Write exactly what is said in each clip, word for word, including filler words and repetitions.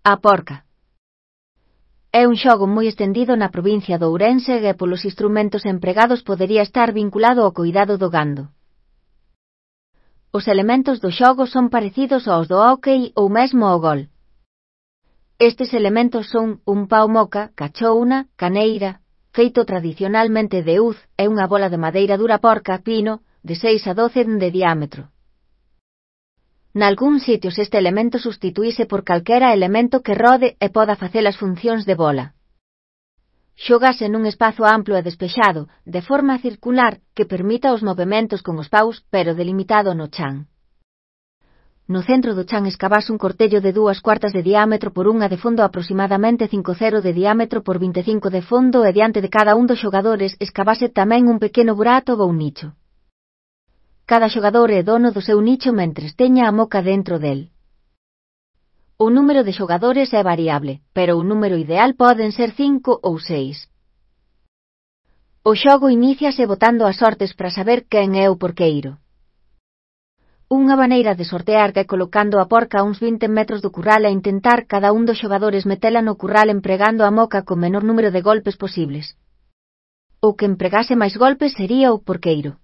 A porca. É un xogo moi estendido na provincia de Ourense e polos instrumentos empregados podería estar vinculado ao coidado do gando. Os elementos do xogo son parecidos aos do hóckey ou mesmo ao gol. Estes elementos son un pau moca, cachouna, caneira, feito tradicionalmente de uz, e unha bola de madeira dura porca, pino, de seis a doce de diámetro. Nalgúns sitios este elemento substituíse por calquera elemento que rode e poda facer as funcións de bola. Xógase nun espazo amplo e despexado, de forma circular, que permita os movementos con os paus, pero delimitado no chan. No centro do chan escavase un cortello de dúas cuartas de diámetro por unha de fondo aproximadamente cinco cero de diámetro por vinte e cinco de fondo e diante de cada un dos xogadores escavase tamén un pequeno burato ou un nicho. Cada xogador é dono do seu nicho mentres teña a moca dentro del. O número de xogadores é variable, pero o número ideal poden ser cinco ou seis. O xogo iníciase botando as sortes para saber quen é o porqueiro. Unha maneira de sortear é colocando a porca a uns vinte metros do curral e intentar cada un dos xogadores metela no curral empregando a moca co menor número de golpes posibles. O que empregase máis golpes sería o porqueiro.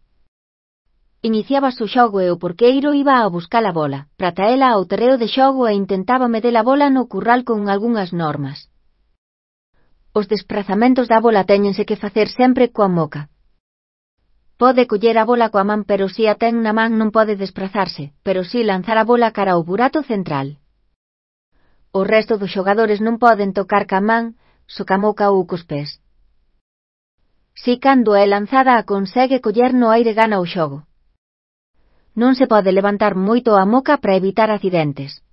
Iniciabas o xogo e o porqueiro iba a buscar a bola, para traela ao terreo de xogo e intentaba meter a bola no curral con algunhas normas. Os desprazamentos da bola téñense que facer sempre coa moca. Pode coller a bola coa man, pero si a ten na man non pode desprazarse, pero si lanzar a bola cara ao burato central. O resto dos xogadores non poden tocar ca man, só ca moca ou cos pés. Si cando é lanzada a consegue coller no aire gana o xogo. Non se pode levantar moito a moca para evitar accidentes.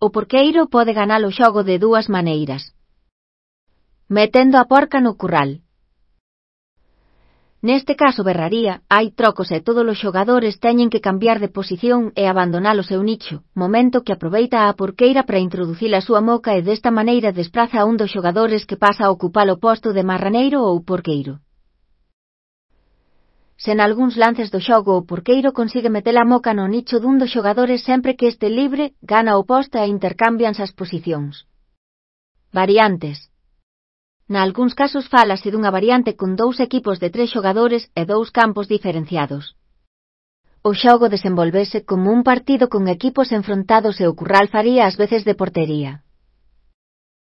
O porqueiro pode ganar o xogo de dúas maneiras. Metendo a porca no curral. Neste caso berraría, hai trocos e todos os xogadores teñen que cambiar de posición e abandonar o seu nicho, momento que aproveita a porqueira para introducir a súa moca e desta maneira despraza a un dos xogadores que pasa a ocupar o posto de marraneiro ou porqueiro. Se nalgúns lances do xogo o porqueiro consigue meter a moca no nicho dun dos xogadores sempre que este libre, gana o posto e intercambianse as posicións. Variantes. Nalgúns casos fálase dunha variante con dous equipos de tres xogadores e dous campos diferenciados. O xogo desenvolvese como un partido con equipos enfrontados e o curral faría as veces de portería.